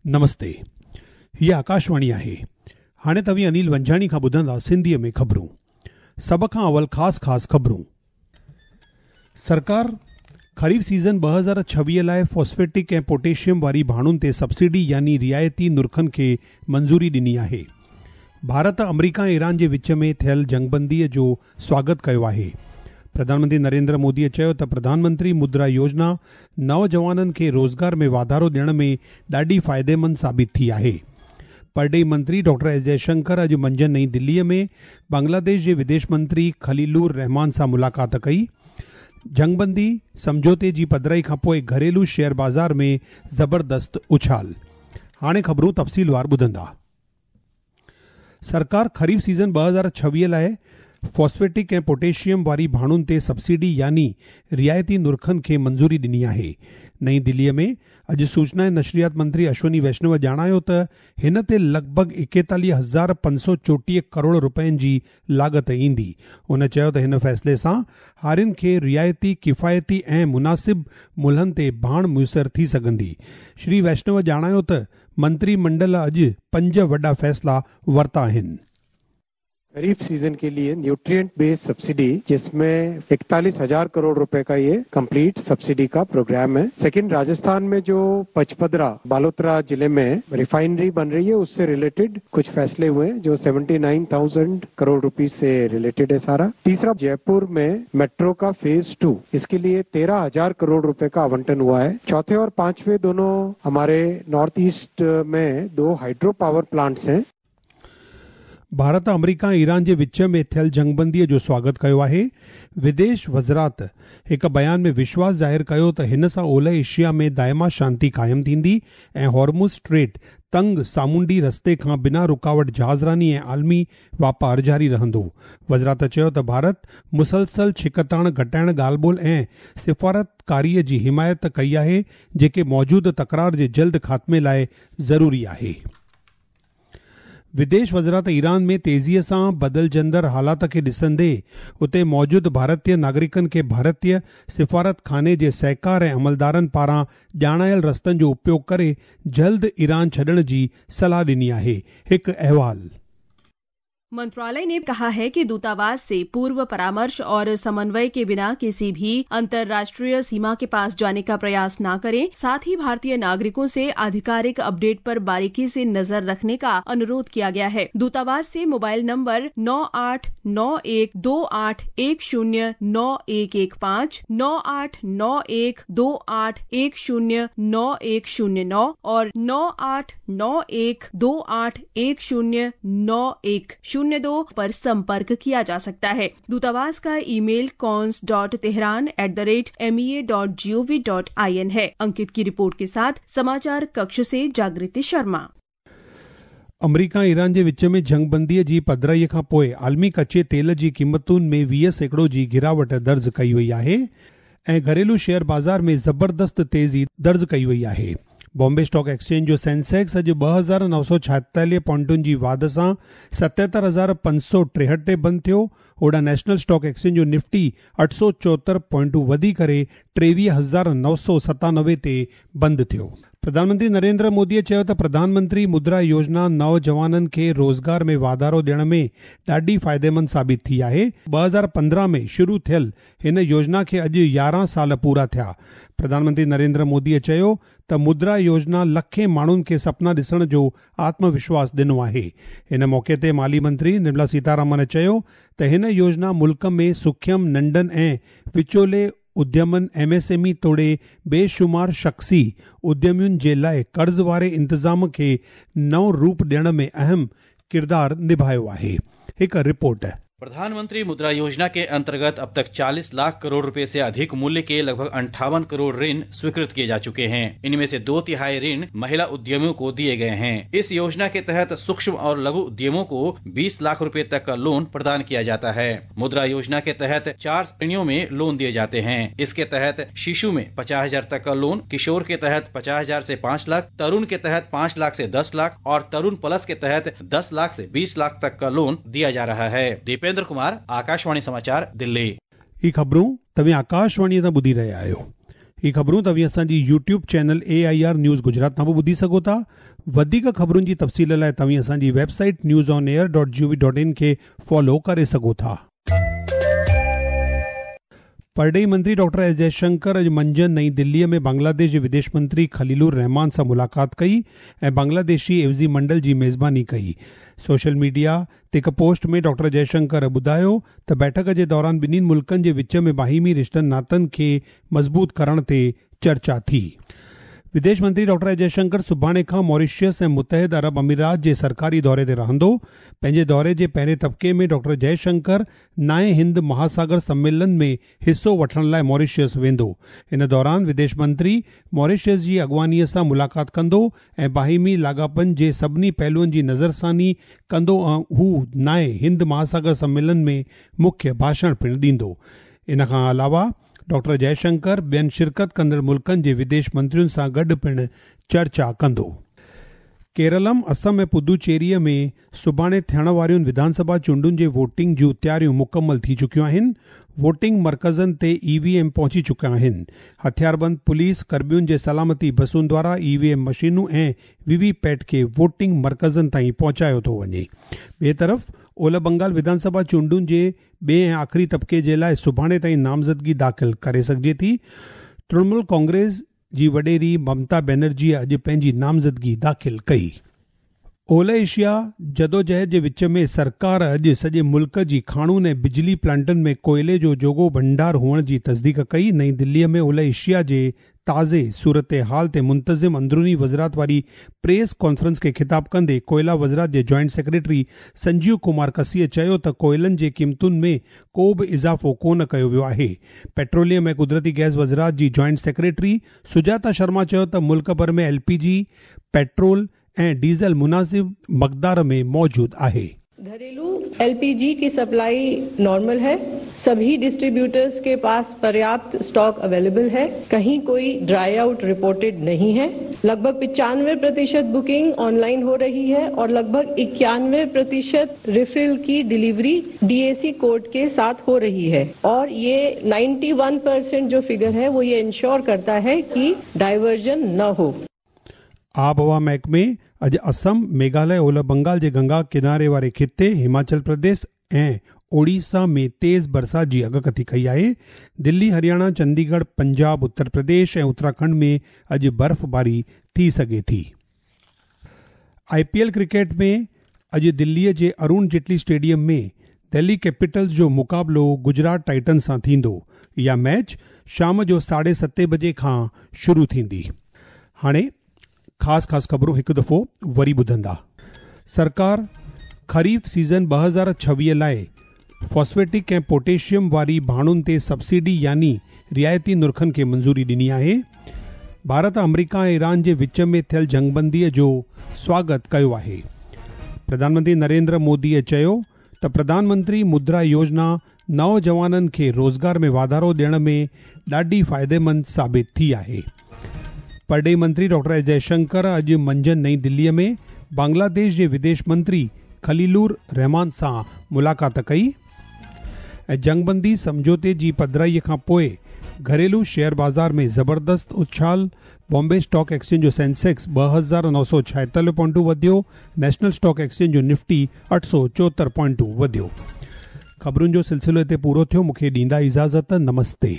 نمستي هيء آڪاشواڻي آهي. هاڻي توهين انيل ونجهاڻي کان ٻڌندا سنڌيء ۾ خبرون. سڀ کان اول خاص خاص خبرون. سرڪار خريف سيزن 2026 لاء فاسفيٽڪ ۽ پوٽيشيم واري ڀاڻن تي سبسڊي يعني رعايتي نرخن کي منظوري ڏني آهي. ڀارت آمريڪا ۽ ايران جي وچ ۾ ٿيل جنگبندي جو سواگت ڪيو آهي. پرڌان منتري نريندر مودي چيو ته پرڌان منتري مدرا يوجنا نوجوانن کي روزگار ۾ واڌارو ڏيڻ ۾ ڏاڍي فائديمند ثابت ٿي آهي. پرڏيهي منتري ڊاڪٽر ايس جئه شنڪر اڄ منجهند نئين دلي ۾ بنگلاديش جي وديش منتري خليلور رحمان سان ملاقات ڪئي. جنگبندي سمجهوتي جي پڌرائي کانپوء گهريلو شيئر بازار ۾ زبردست اڇال. هاڻي خبرون تفصيلوار ٻڌندا. سرڪار خريف سيزن 2026 لاء فاسفيٽڪ ۽ پوٽيشيم واري ڀاڻن تي سبسڊي يعني رعايتي نرخن کي منظوري ڏني آهي. نئين دلي ۾ اڄ سوچنا ۽ نشريات منتري اشوني ويشنو ڄاڻايو ته هن تي لڳ ڀڳ 41534 ڪروڙ رپين جي لاڳت ايندي. هن چيو ته هن فيصلي سان هارين کي رعايتي، ڪفايتي ۽ مناسب ملهن تي ڀاڻ ميسر ٿي سگهندي. شري ويشنو ڄاڻايو ته منتري منڊل اڄ پنج وڏا فيصلا ورتا آهن. खरीफ सीजन के लिए न्यूट्रिएंट बेस्ड सब्सिडी, जिसमें 41,000 करोड़ रुपए का ये कंप्लीट सब्सिडी का प्रोग्राम है। सेकंड, राजस्थान में जो पचपदरा बालोतरा जिले में रिफाइनरी बन रही है, उससे रिलेटेड कुछ फैसले हुए हैं जो 79,000 करोड़ रुपए से रिलेटेड है सारा। तीसरा, जयपुर में मेट्रो का फेज 2, इसके लिए 13,000 करोड़ रुपए का आवंटन हुआ है। चौथे और पांचवे दोनों हमारे नॉर्थ ईस्ट में 2 हाइड्रो पावर प्लांट्स हैं। ڀارت آمريڪا ۽ ايران جي وچ ۾ ٿيل جنگبندي جو سواگت ڪيو آهي. وديش وزارت هڪ بيان ۾ وشواس ظاهر ڪيو ته هن سان اولهه ايشيا ۾ دائما شانتي قائم ٿيندي ۽ هورمز اسٽريٽ تنگ سامونڊي رستي کان بنا رڪاوٽ جهازراني ۽ عالمي واپار جاري رهندو. وزارت چيو ته ڀارت مسلسل ڇڪتاڻ گهٽائڻ، ڳالهه ٻولهه ۽ سفارتڪاري جي حمايت ڪئي آهي، جيڪي موجوده تڪرار جي جلد خاتمي لاء ضروري آهي. وديش وزارت ايران ۾ تيزيء سان بدلجندڙ حالات کي ڏسندي اتي موجود ڀارتي ناگرڪن کي ڀارتي سفارتخاني جي سهڪار ۽ عملدارن پاران ڄاڻايل رستن جو اپيوگ ڪري جلد ايران ڇڏڻ جي صلاح ڏني آهي. هڪ احوال. मंत्रालय ने कहा है कि दूतावास से पूर्व परामर्श और समन्वय के बिना किसी भी अंतर्राष्ट्रीय सीमा के पास जाने का प्रयास न करें। साथ ही भारतीय नागरिकों से आधिकारिक अपडेट पर बारीकी से नजर रखने का अनुरोध किया गया है। दूतावास से मोबाइल नंबर 989128109115, 989128109109 और 989128109102 पर संपर्क किया जा सकता है। दूतावास का ईमेल cons.tehran@mea.gov.in है। अंकित की रिपोर्ट के साथ समाचार कक्ष से जागृति शर्मा। अमरीका ऐं ईरान जे विच में जंगबंदीअ जी पधराईअ खां पोइ आलमी कच्चे तेल जी क़ीमतुनि में 20% जी गिरावट दर्ज कई वई आहे ऐं घरेलू शेयर बाज़ार में ज़बरदस्त तेज़ी दर्ज कई वई आहे। बॉम्बे स्टॉक एक्सचेंज जो सेंसेक्स अॼु 2946 पॉइंटुनि जी वाध सां 77,563 ते बंदि थियो। होॾां नेशनल स्टॉक एक्सचेंज जो निफ्टी 874 पॉइंटूं वधी करे 23,997 ते बंदि थियो। प्रधानमंत्री नरेंद्र मोदीअ चयो त प्रधानमंत्री मुद्रा योजना नौजवाननि खे रोज़गार में वाधारो ॾियण में ॾाढी फ़ाइदेमंद साबित थी आहे। 2015 में शुरू थियल हिन योजना खे अॼु 11 साल पूरा थिया। प्रधानमंत्री नरेंद्र मोदीअ चयो त मुद्रा योजना लखें माण्हुनि खे सपना ॾिसण जो आत्मविश्वास ॾिनो आहे। हिन मौक़े ते माली मंत्री निर्मला सीतारमण चयो त हिन योजना मुल्क में सूक्ष्म, नंढनि ऐं विचोले उद्यमनि एमएसएमई तोड़े बेशुमार शख़्सी उद्यमियुनि जे लाइ कर्ज़ वारे इंतज़ाम खे नओं रूप ॾियण में अहम किरदार निभायो आहे। हिकु रिपोर्ट। प्रधानमंत्री मुद्रा योजना के अंतर्गत अब तक 40 लाख करोड़ रुपए से अधिक मूल्य के लगभग 58 करोड़ ऋण स्वीकृत किए जा चुके हैं। इनमें से 2/3 ऋण महिला उद्यमियों को दिए गए हैं। इस योजना के तहत सूक्ष्म और लघु उद्यमों को 20 लाख रुपए तक का लोन प्रदान किया जाता है। मुद्रा योजना के तहत 4 श्रेणियों में लोन दिए जाते हैं। इसके तहत शिशु में 50,000 तक का लोन, किशोर के तहत 50,000 से 5 लाख, तरुण के तहत 5 लाख से 10 लाख और तरुण प्लस के तहत 10 लाख से 20 लाख तक का लोन दिया जा रहा है। दीपेंद्र कुमार, आकाशवाणी समाचार, दिल्ली। ही ख़बरूं तव्हीं आकाशवाणीअ तां ॿुधी रहिया आहियो। هي خبرون توهين اسان جي YouTube channel A I R news Gujarat تان به ٻڌي سگهو ٿا. وڌيڪ خبرن جي تفصيل لاء توهين اسان جي website news on air dot G O V dot in کي فالو ڪري سگهو ٿا. پرڏيهي منتري ڊاڪٽر ايس جئشنڪر اڄ منجهند نئين دليء ۾ بنگلاديش جي وديش منتري خليل الرحمان سان ملاقات ڪئي ۽ بنگلاديشي عيوضي منڊل جي ميزباني ڪئي. سوشل ميڊيا تي هڪ پوسٽ ۾ ڊاڪٽر جئشنڪر ٻڌايو ته بيٺڪ جي دوران ٻنهي ملڪن جي وچ ۾ باهمي رشتن ناتن کي مضبوط ڪرڻ تي چرچا ٿي. وديش منتري ڊاڪٽر ايس جئشنڪر سڀاڻي کان ماريشس ۽ متحد عرب اميرات جي سرڪاري دوري تي رهندو. پنهنجي دوري جي پهرين طبقي ۾ ڊاڪٽر جئشنڪر نائين هند مهاساگر سميلن ۾ حصو وٺڻ لاء ماريشس ويندو. ان دوران وديش منتري ماريشس جي اڳواڻي سان ملاقات ڪندو ۽ باهمي لاڳاپن جي سڀني پهلوئن جي نظرثاني ڪندو ۽ هو نائين هند مهاساگر سميلن ۾ مکيه ڀاشڻ پڻ ڏيندو. ان کان علاوه ڊاڪٽر جئشنڪر ٻين شرڪت ڪندڙ ملڪن جي وديش منترين سان گڏ پڻ چرچا ڪندو. ڪيرلم، اسم ۽ پدوچيريء ۾ سڀاڻي ٿيڻ وارين وڌانسڀا چونڊن جي ووٽنگ جون تياريون مڪمل ٿي چڪيون آهن، ووٽنگ مرڪزن تي اي وي ايم پهچي چڪا آهن، هٿياربند پوليس ڪرمين جي سلامتي بسن دوارا اي وي ايم مشينون ۽ وي وي پيٽ کي ووٽنگ مرڪزن تائين پهچايو ٿو وڃي. ٻئي طرف اولهه بنگال وڌانسڀا چونڊن جي ٻئي ۽ آخري طبقي جي لاء سڀاڻي تائين نامزدگي داخل ڪري سگهجي ٿي. ترڻمول ڪانگريس جي وڏيري ممتا بينرجيء اڄ پنهنجي نامزدگي داخل ڪئي. اولهه ايشيا جدوجهد جي وچ ۾ سرڪار اڄ سڄي ملڪ جي کاڻون ۽ بجلي پلانٽن ۾ ڪوئلي جو جوڳو ڀنڊار هئڻ جي تصديق ڪئي. نئين دليء ۾ اولهه ايشيا جي تازي صورتحال تي منتظم اندروني وزارت واري پريس ڪانفرنس کي خطاب ڪندي ڪوئلا وزارت جي جوائنٽ سيڪريٽري سنجيو ڪمار ڪسيء چيو ته ڪوئلن جي قيمتن ۾ ڪو به اضافو ڪونه ڪيو ويو آهي. پيٽروليم ۽ قدرتي گئس وزارت جي جوائنٽ سيڪريٽري سجاتا شرما چيو ته ملڪ ڀر ۾ ايل پي جي، پيٽرول ۽ ڊيزل مناسب مقدار ۾ موجود آهي. گهريلو एल पी जी की सप्लाई नॉर्मल है सभी डिस्ट्रीब्यूटर्स के पास पर्याप्त स्टॉक अवेलेबल है कहीं कोई ड्राई आउट रिपोर्टेड नहीं है लगभग 95 प्रतिशत बुकिंग ऑनलाइन हो रही है और लगभग 91 प्रतिशत रिफिल की डिलीवरी डीएसी कोड के साथ हो रही है और ये 91 परसेंट जो फिगर है वो ये इंश्योर करता है कि डाइवर्जन न हो। آبهوا محڪمي اڄ اسم، ميگهاليه، اولهه بنگال جي گنگا ڪناري واري خطي، هماچل پرديش ۽ اوڙيسا ۾ تيز برسات جي اڳڪٿي ڪئي آهي. دلي، هرياڻا، چنديڳڙهه، پنجاب، اتر پرديش ۽ اتراکنڊ ۾ اڄ برفباري ٿي سگهي ٿي. آء پي ايل ڪرڪيٽ ۾ اڄ دلي جي ارون جيٽلي اسٽيڊيم ۾ دهلي ڪيپيٽلز جو مقابلو گجرات ٽائٽنز سان ٿيندو. اها ميچ شام جو ساڍي ستين بجي کان شروع ٿيندي. هاڻي خاص خاص خبرون هڪ دفعو وري ٻڌندا. سرڪار خريف سيزن 2026 لاء فاسفيٽڪ ۽ پوٽيشيم واري ڀاڻن تي سبسڊي يعني رعايتي نرخن کي منظوري ڏني آهي. ڀارت آمريڪا ۽ ايران جي وچ ۾ ٿيل جنگبندي جو سواگت ڪيو آهي. پرڌان منتري نريندر مودي چيو ته پرڌان منتري مدرا يوجنا نوجوانن کي روزگار ۾ واڌارو ڏيڻ ۾ ڏاڍي فائديمند ثابت ٿي آهي. پرڏيهي منتري ڊاڪٽر ايس جئشنڪر اڄ منجهند نئين دليء ۾ بنگلاديش جي وديش منتري خليل الرحمان سان ملاقات ڪئي ۽ جنگبندي سمجهوتي جي پڌرائي کان پوء گهريلو شيئر بازار ۾ زبردست اڇال، بامبي اسٽاڪ ايڪسچينج جو سينسيڪس 2946 پوائنٽون وڌيو، نيشنل اسٽاڪ ايڪسچينج جو نفٽي 874 پوائنٽون وڌيو. خبرن جو سلسلو هتي پورو ٿيو، مون کي ڏيندا اجازت، نمستي.